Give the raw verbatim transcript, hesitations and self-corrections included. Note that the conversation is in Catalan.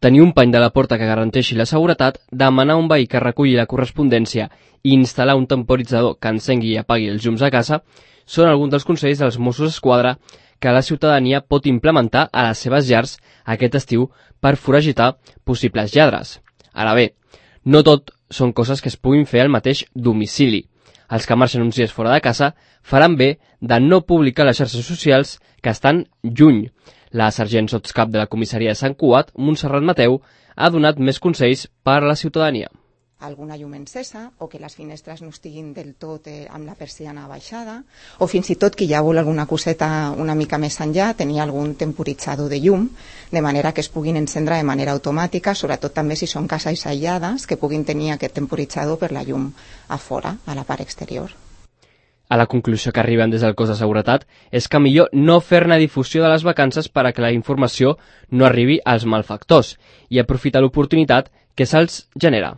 tenir un pany de la porta que garanteixi la seguretat, demanar a un veí que reculli la correspondència i instal·lar un temporitzador que encengui i apagui els llums a casa són alguns dels consells dels Mossos d'Esquadra que la ciutadania pot implementar a les seves llars aquest estiu per foragitar possibles lladres. Ara bé, no tot són coses que es puguin fer al mateix domicili. Els que marxen uns dies fora de casa faran bé de no publicar les xarxes socials que estan lluny. La sergent sotscap de la comissaria de Sant Cugat, Montserrat Mateu, ha donat més consells per a la ciutadania. Alguna llum encesa o que les finestres no estiguin del tot eh, amb la persiana baixada o fins i tot que ja vol alguna coseta una mica més enllà, tenir algun temporitzador de llum, de manera que es puguin encendre de manera automàtica, sobretot també si són cases aïllades, que puguin tenir aquest temporitzador per la llum a fora, a la part exterior. A la conclusió que arriben des del cos de seguretat és que millor no fer-ne difusió de les vacances per a que la informació no arribi als malfactors i aprofitar l'oportunitat que se'ls genera.